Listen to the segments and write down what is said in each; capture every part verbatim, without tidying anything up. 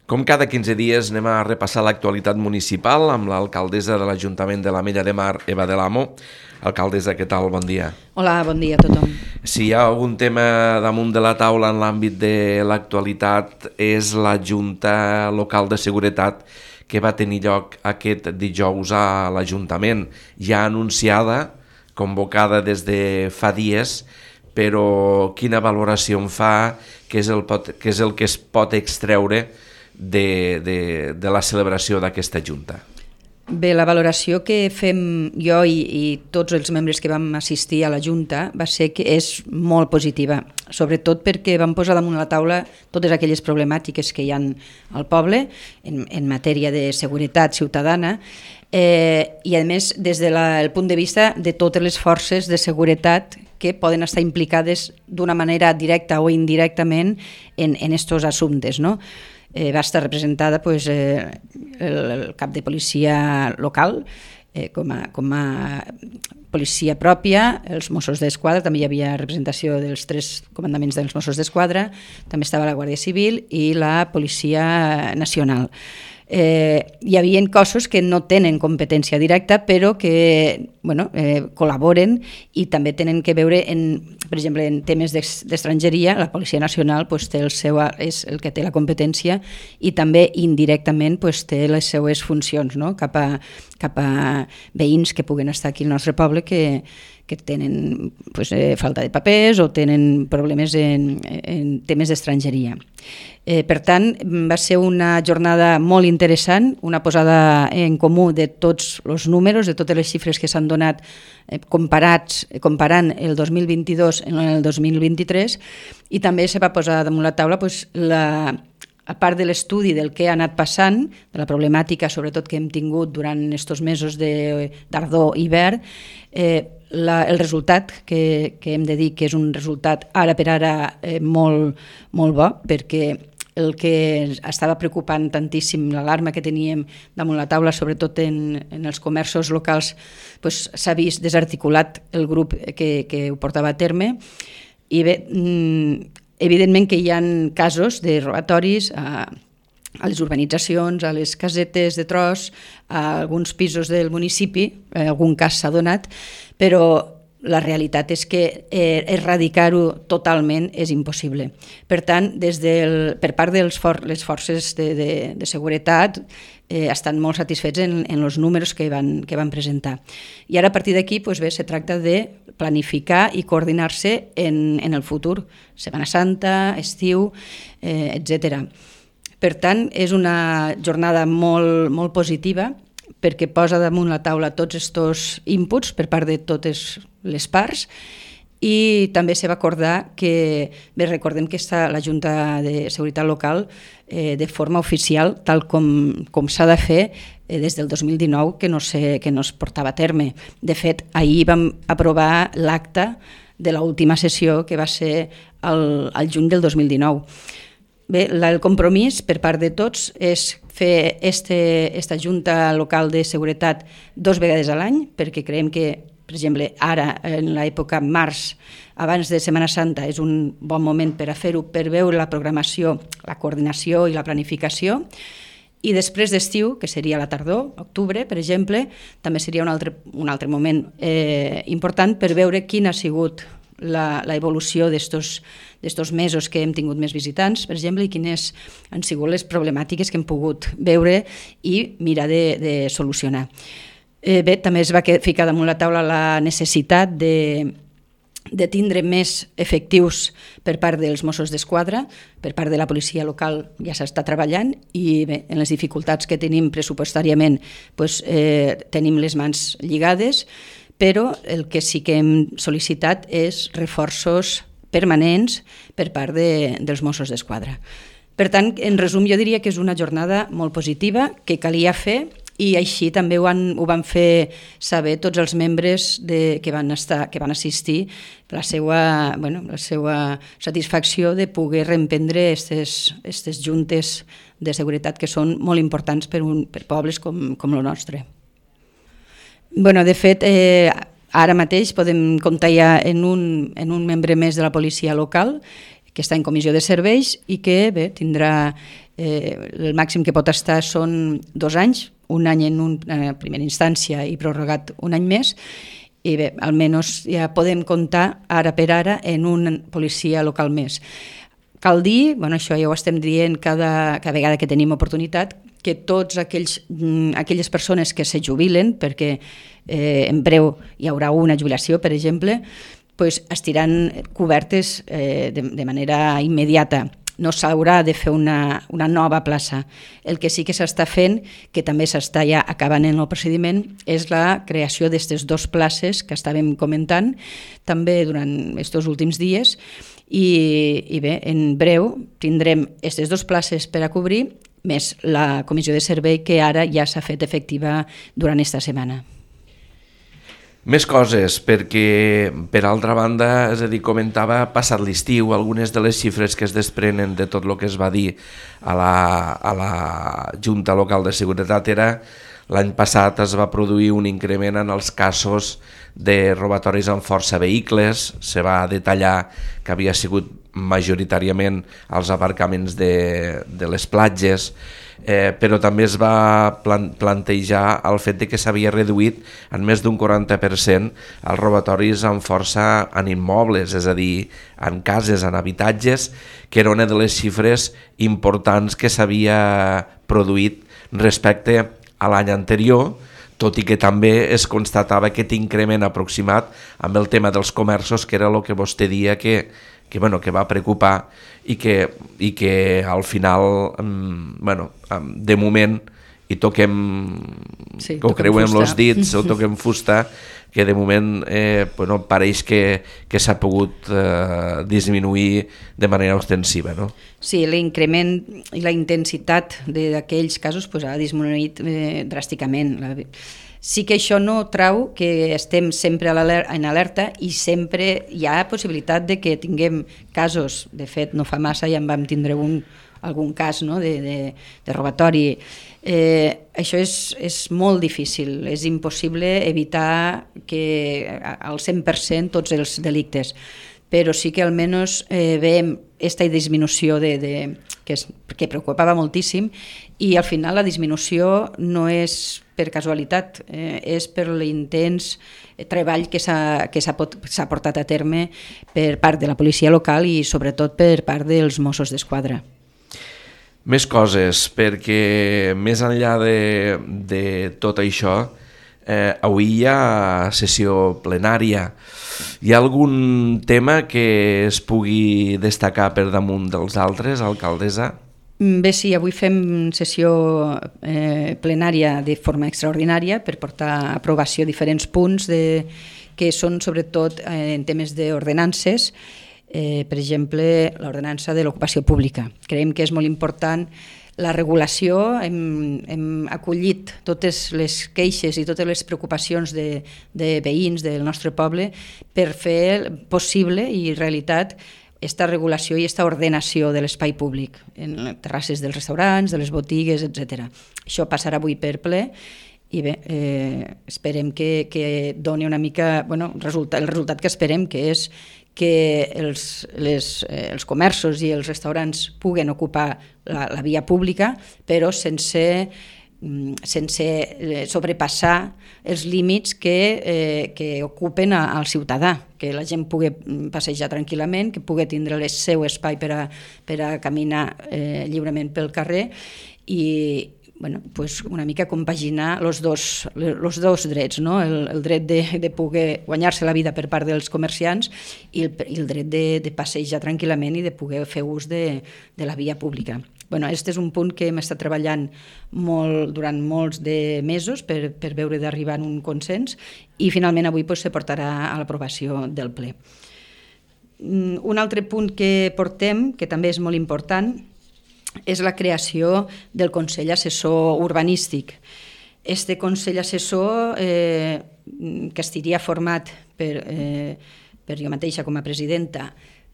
Com cada quinze dies anem a repassar l'actualitat municipal amb l'alcaldessa de l'Ajuntament de l'Ametlla de Mar, Eva de l'Amo. Alcaldessa, què tal? Bon dia. Hola, bon dia a tothom. Si hi ha algun tema damunt de la taula en l'àmbit de l'actualitat és la Junta Local de Seguretat que va tenir lloc aquest dijous a l'Ajuntament, ja anunciada, convocada des de fa dies, però quina valoració en fa, què és el, pot, què és el que es pot extreure de, de, de la celebració d'aquesta Junta? Bé, la valoració que fem jo i, i tots els membres que vam assistir a la Junta va ser que és molt positiva, sobretot perquè vam posar damunt la taula totes aquelles problemàtiques que hi ha al poble en, en matèria de seguretat ciutadana eh, i a més des del de punt de vista de totes les forces de seguretat que poden estar implicades d'una manera directa o indirectament en aquests assumptes, no? Eh, va estar representada pues, eh, el, el cap de policia local eh, com, a, com a policia pròpia, els Mossos d'Esquadra, també hi havia representació dels tres comandaments dels Mossos d'Esquadra, també estava la Guàrdia Civil i la Policia Nacional. Eh, hi havia cossos que no tenen competència directa però que bueno, eh, col·laboren i també tenen que veure en, per exemple, en temes d'estrangeria. La Policia Nacional pues, té el seu, és el que té la competència i també indirectament pues, té les seues funcions, no? cap, a, cap a veïns que puguen estar aquí al nostre poble que, que tenen pues, eh, falta de papers o tenen problemes en, en temes d'estrangeria. Eh, per tant, va ser una jornada molt interessant, una posada en comú de tots els números, de totes les xifres que s'han donat eh, comparats, comparant el dos mil vint-i-dos amb el dos mil vint-i-tres, i també se va posar damunt la taula pues, la, a part de l'estudi del que ha anat passant, de la problemàtica sobretot que hem tingut durant aquests mesos de tardor i hivern, eh, la, el resultat que, que hem de dir que és un resultat ara per ara eh, molt, molt bo, perquè el que estava preocupant tantíssim, l'alarma que teníem damunt la taula, sobretot en, en els comerços locals, pues, s'ha vist desarticulat el grup que, que ho portava a terme. I bé, evidentment que hi ha casos de robatoris a, a les urbanitzacions, a les casetes de tros, a alguns pisos del municipi, en algun cas s'ha donat, però la realitat és que eh, erradicar-ho totalment és impossible. Per tant, des del, per part de for, les forces de, de, de seguretat eh, estan molt satisfets en, en els números que van, que van presentar. I ara a partir d'aquí pues bé, se tracta de planificar i coordinar-se en, en el futur, Setmana Santa, estiu, eh, etcètera. Per tant, és una jornada molt, molt positiva perquè posa damunt la taula tots aquests inputs per part de totes les parts i també se va acordar que, bé, recordem que està la Junta de Seguretat Local eh, de forma oficial, tal com, com s'ha de fer eh, des del dos mil dinou, que no, sé, que no es portava a terme. De fet, ahir vam aprovar l'acta de l'última sessió que va ser el, el juny del dos mil dinou. Bé, el compromís per part de tots és fer este, esta Junta Local de Seguretat dos vegades a l'any, perquè creiem que, per exemple, ara, en l'època març, abans de Setmana Santa, és un bon moment per a fer-ho, per veure la programació, la coordinació i la planificació, i després d'estiu, que seria la tardor, octubre, per exemple, també seria un altre, un altre moment eh, important per veure quin ha sigut la, la evolució d'estos mesos que hem tingut més visitants, per exemple, i quines han sigut les problemàtiques que hem pogut veure i mirar de, de solucionar. Eh, bé, també es va ficar damunt la taula la necessitat de, de tindre més efectius per part dels Mossos d'Esquadra, per part de la policia local ja s'està treballant i bé, en les dificultats que tenim pressupostàriament pues, eh, tenim les mans lligades, però el que sí que hem sol·licitat és reforços permanents per part de, dels Mossos d'Esquadra. Per tant, en resum, jo diria que és una jornada molt positiva, que calia fer, i així també ho, han, ho van fer saber tots els membres de, que, van estar, que van assistir, la seva, bueno, la seva satisfacció de poder reemprendre aquestes juntes de seguretat que són molt importants per, un, per pobles com, com el nostre. Bueno, de fet, eh, ara mateix podem comptar ja en un, en un membre més de la policia local que està en comissió de serveis i que bé, tindrà eh, el màxim que pot estar són dos anys, un any en una primera instància i prorrogat un any més, i bé, almenys ja podem comptar ara per ara en un policia local més. Cal dir, bueno, això ja ho estem dient cada, cada vegada que tenim oportunitat, que tots aquells, aquelles persones que se jubilen, perquè eh, en breu hi haurà una jubilació, per exemple, pues, estiran cobertes eh, de, de manera immediata. No s'haurà de fer una, una nova plaça. El que sí que s'està fent, que també s'està ja acabant en el procediment, és la creació d'aquestes dues places que estàvem comentant també durant aquests últims dies, i, i bé, en breu tindrem aquestes dues places per a cobrir, més la comissió de servei que ara ja s'ha fet efectiva durant aquesta setmana. Més coses, perquè per altra banda, és a dir, comentava passat l'estiu algunes de les xifres que es desprenen de tot el que es va dir a la, a la Junta Local de Seguretat era l'any passat es va produir un increment en els casos de robatoris amb força a vehicles, se va detallar que havia sigut majoritàriament als aparcaments de, de les platges, eh, però també es va plan plantejar el fet de que s'havia reduït en més d'un quaranta per cent els robatoris amb força en immobles, és a dir, en cases, en habitatges, que era una de les xifres importants que s'havia produït respecte a l'any anterior, tot i que també es constatava aquest increment aproximat amb el tema dels comerços, que era el que vostè dia que, que, bueno, que va preocupar i que, i que al final, bueno, de moment, i toquem, sí, que ho creuem els dits o toquem fusta, que de moment eh, bueno, pareix que, que s'ha pogut eh, disminuir de manera ostensiva, no? Sí, l'increment i la intensitat d'aquells casos pues, ha disminuït eh, dràsticament. Sí que això no trau que estem sempre en alerta i sempre hi ha possibilitat de que tinguem casos. De fet, no fa massa ja en vam tindre un, algun cas, no? de, de, de robatori. Eh, això és, és molt difícil, és impossible evitar que al cent per cent tots els delictes, però sí que almenys eh, veiem aquesta disminució de, de, que, és, que preocupava moltíssim, i al final la disminució no és per casualitat, eh, és per l'intens treball que s'ha portat a terme per part de la policia local i sobretot per part dels Mossos d'Esquadra. Més coses, perquè més enllà de, de tot això, eh, avui hi ha sessió plenària. Hi ha algun tema que es pugui destacar per damunt dels altres, alcaldessa? Bé, sí, avui fem sessió eh, plenària de forma extraordinària per portar a aprovació diferents punts de, que són sobretot eh, en temes d'ordenances. Eh, per exemple, l'ordenança de l'ocupació pública. Creiem que és molt important la regulació, hem, hem acollit totes les queixes i totes les preocupacions de, de veïns del nostre poble per fer possible i realitat aquesta regulació i aquesta ordenació de l'espai públic, en les terrasses dels restaurants, de les botigues, etcètera. Això passarà avui per ple i bé, eh, esperem que, que doni una mica, bueno, resulta, el resultat que esperem, que és que els, les, eh, els comerços i els restaurants puguen ocupar la, la via pública, però sense, sense sobrepassar els límits que, eh, que ocupen a, al ciutadà, que la gent pugui passejar tranquil·lament, que pugui tindre el seu espai per a, per a caminar eh, lliurement pel carrer i, bueno, pues una mica compaginar els dos, los dos drets, no? el, el dret de, de poder guanyar-se la vida per part dels comerciants i el, i el dret de, de passejar tranquil·lament i de poder fer ús de, de la via pública. Bueno, aquest és un punt que hem estat treballant molt, durant molts de mesos per, per veure d'arribar a un consens i finalment avui pues, se portarà a l'aprovació del ple. Un altre punt que portem, que també és molt important, és la creació del Consell Assessor Urbanístic. Este Consell Assessor, eh, que estaria format per, eh, per jo mateixa com a presidenta,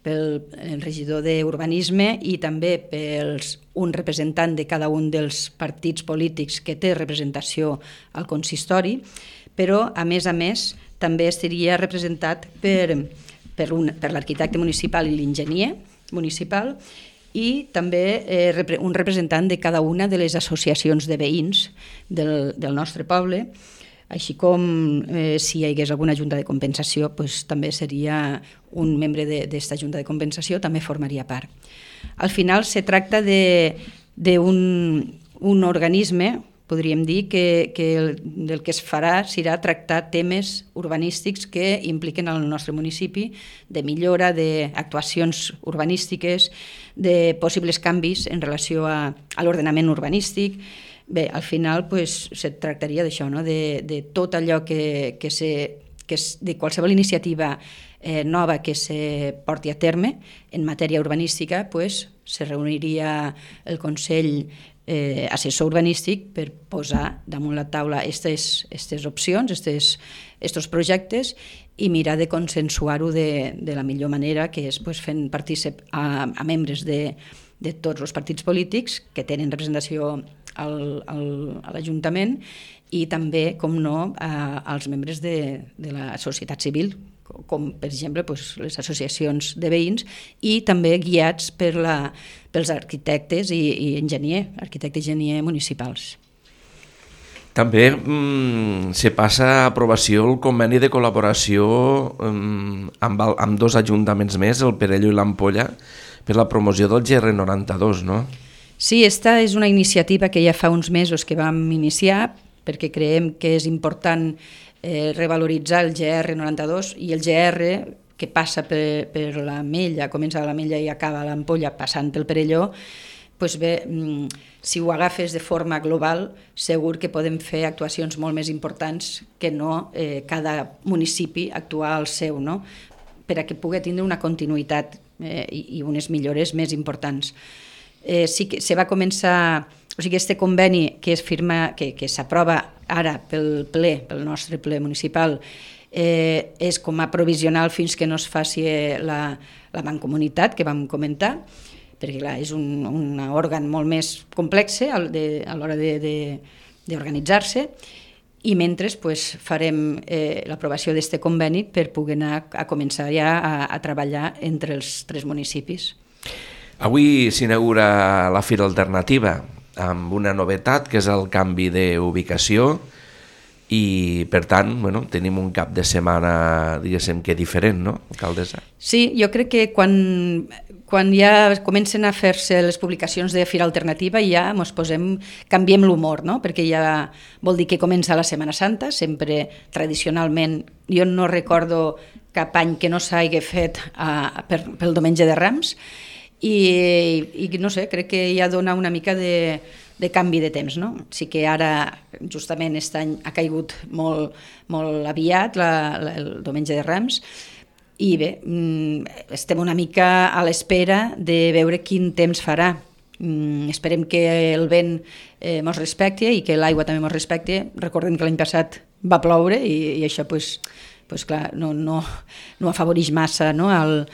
pel regidor d'Urbanisme i també per un representant de cada un dels partits polítics que té representació al consistori, però, a més a més, també estaria representat per, per, un, per l'arquitecte municipal i l'enginyer municipal, i també eh, un representant de cada una de les associacions de veïns del, del nostre poble, així com eh, si hi hagués alguna junta de compensació, pues, també seria un membre d'aquesta junta de compensació, també formaria part. Al final se tracta d'un un organisme, podríem dir, que, que el, del que es farà serà tractar temes urbanístics que impliquen el nostre municipi, de millora, d'actuacions urbanístiques, de possibles canvis en relació a, a l'ordenament urbanístic. Bé, al final pues, se tractaria d'això, no? de, de tot allò que, que, se, que és, de qualsevol iniciativa eh, nova que se porti a terme en matèria urbanística, pues, se reuniria el Consell eh, assessor urbanístic per posar damunt la taula aquestes opcions, aquests projectes, i mirar de consensuar-ho de, de la millor manera, que és pues, fent partícip a, a membres de, de tots els partits polítics que tenen representació al, al, a l'Ajuntament, i també, com no, a, als membres de, de la societat civil, com per exemple pues, les associacions de veïns, i també guiats per la, pels arquitectes i, i enginyer, arquitecte i enginyer municipals. També mm, se passa a aprovació el conveni de col·laboració mm, amb, el, amb dos ajuntaments més, el Perelló i l'Ampolla, per la promoció del G R noranta-dos, no? Sí, esta és una iniciativa que ja fa uns mesos que vam iniciar, perquè creiem que és important eh, revaloritzar el G R noranta-dos i el G R que passa per, per la Mella, comença a la Mella i acaba a l'Ampolla passant pel Perelló, pues bé, si ho agafes de forma global, segur que podem fer actuacions molt més importants que no eh, cada municipi actuar al seu, no? Per a que pugui tindre una continuïtat eh, i, i unes millores més importants. Eh, sí que se va començar, o sigui, este conveni que es firma, que, que s'aprova ara pel ple, pel nostre ple municipal, eh, és com a provisional fins que no es faci la, la mancomunitat que vam comentar, perquè clar, és un, un òrgan molt més complex a l'hora d'organitzar-se, i mentre pues, farem eh, l'aprovació d'aquest conveni per poder anar a començar ja a, a treballar entre els tres municipis. Avui s'inaugura la Fira Alternativa amb una novetat, que és el canvi d'ubicació, i per tant bueno, tenim un cap de setmana diguéssim que diferent, no, alcaldessa? Sí, jo crec que quan, quan ja comencen a fer-se les publicacions de Fira Alternativa ja ens posem, canviem l'humor, no? Perquè ja vol dir que comença la Setmana Santa, sempre tradicionalment, jo no recordo cap any que no s'hagi fet a, per, pel Diumenge de Rams, i, i no sé, crec que ja dona una mica de, de canvi de temps, no? Sí que ara, justament aquest any ha caigut molt, molt aviat la, la, el Diumenge de Rams, i bé, estem una mica a l'espera de veure quin temps farà. Esperem que el vent eh, mos respecti i que l'aigua també mos respecti. Recordem que l'any passat va ploure i, i això pues, pues, clar, no, no, no afavoreix massa, no, el,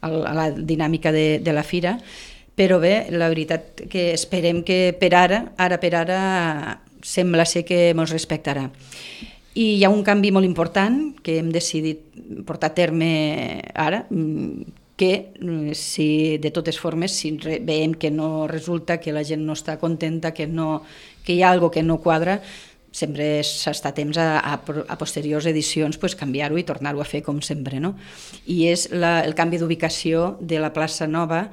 el, a la dinàmica de, de la fira, però bé, la veritat que esperem que per ara, ara per ara, sembla ser que mos respectarà. I hi ha un canvi molt important que hem decidit portar a terme ara, que si de totes formes, si veiem que no resulta, que la gent no està contenta, que, no, que hi ha alguna cosa que no quadra, sempre s'està a temps a, a, a posteriors edicions pues, canviar-ho i tornar-ho a fer com sempre, no? I és la, el canvi d'ubicació de la plaça Nova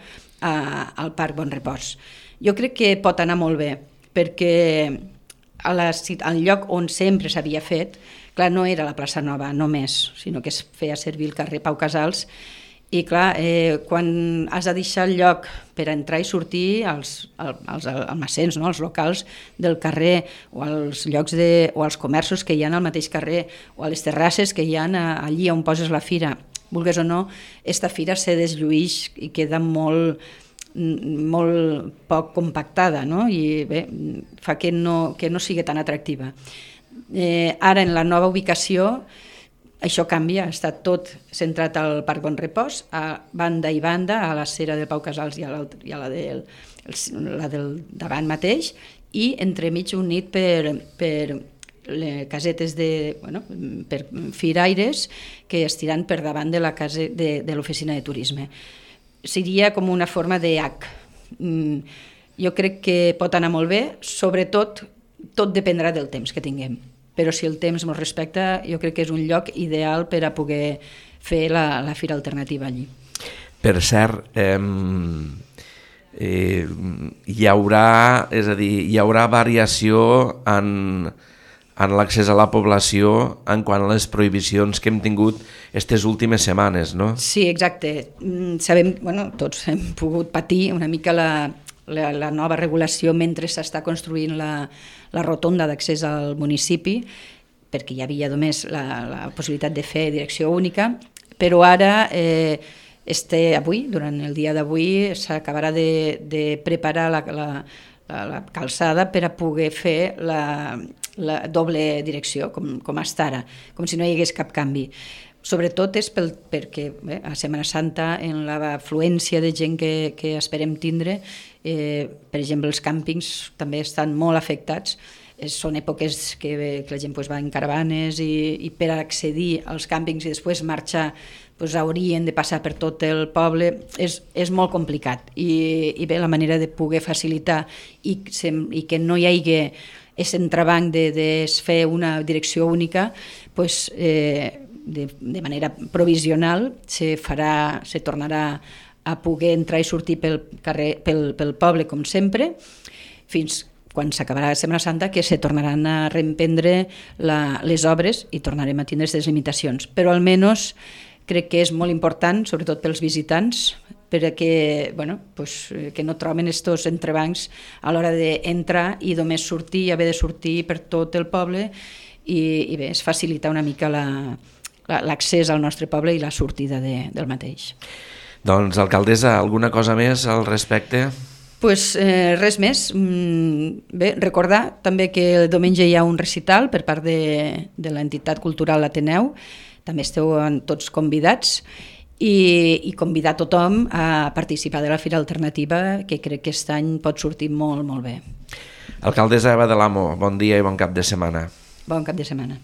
a, al Parc Bon Repòs. Jo crec que pot anar molt bé, perquè a la, al lloc on sempre s'havia fet, clar, no era la plaça Nova només, sinó que es feia servir el carrer Pau Casals, i clar, eh, quan has de deixar el lloc per entrar i sortir als, als almacens, no? Els locals del carrer o als llocs de, o als comerços que hi ha al mateix carrer o a les terrasses que hi ha allí on poses la fira, vulgues o no, esta fira se deslluïx i queda molt, molt poc compactada, no? I bé, fa que no, que no sigui tan atractiva. Eh, ara, en la nova ubicació, això canvia, està tot centrat al Parc Bon Repòs, a banda i banda, a la cera del Pau Casals i a, i a la, del, la del davant mateix, i entremig unit per, per les casetes de, bueno, per firaires que estiran per davant de la casa de, de l'oficina de turisme. Seria com una forma de H, Mm, jo crec que pot anar molt bé, sobretot tot dependrà del temps que tinguem, però si el temps ens respecta, jo crec que és un lloc ideal per a poder fer la, la fira alternativa allí. Per cert, eh, eh, hi haurà, és a dir, hi haurà variació en, en l'accés a la població en quant a les prohibicions que hem tingut aquestes últimes setmanes, no? Sí, exacte. Sabem, bueno, tots hem pogut patir una mica la, la, la nova regulació mentre s'està construint la, la rotonda d'accés al municipi, perquè hi havia només la, la possibilitat de fer direcció única, però ara... Eh, Este, avui, durant el dia d'avui, s'acabarà de, de preparar la, la, la, la calçada per a poder fer la, la doble direcció, com, com està ara, com si no hi hagués cap canvi. Sobretot és pel, perquè bé, a Setmana Santa, en l'afluència de gent que, que esperem tindre, eh, per exemple, els càmpings també estan molt afectats. Són èpoques que, que la gent pues, va en caravanes i, i per accedir als càmpings i després marxar pues, haurien de passar per tot el poble, és, és molt complicat. I, i bé, la manera de poder facilitar i, i que no hi hagi aquest entrebanc de, de fer una direcció única, pues, eh, de, de manera provisional se farà, se tornarà a poder entrar i sortir pel, carrer, pel, pel poble com sempre, fins quan s'acabarà la Setmana Santa, que se tornaran a reemprendre la, les obres i tornarem a tindre aquestes limitacions. Però almenys crec que és molt important, sobretot pels visitants, perquè bueno, pues, que no troben aquests entrebancs a l'hora d'entrar i només sortir i haver de sortir per tot el poble i, i bé, es facilita una mica la, la, l'accés al nostre poble i la sortida de, del mateix. Doncs, alcaldessa, alguna cosa més al respecte? Pues, eh, res més. Bé, recordar també que el diumenge hi ha un recital per part de, de l'entitat cultural Ateneu, també esteu tots convidats i, i convidar tothom a participar de la Fira Alternativa, que crec que aquest any pot sortir molt, molt bé. Alcaldessa Eva de l'Amo, bon dia i bon cap de setmana. Bon cap de setmana.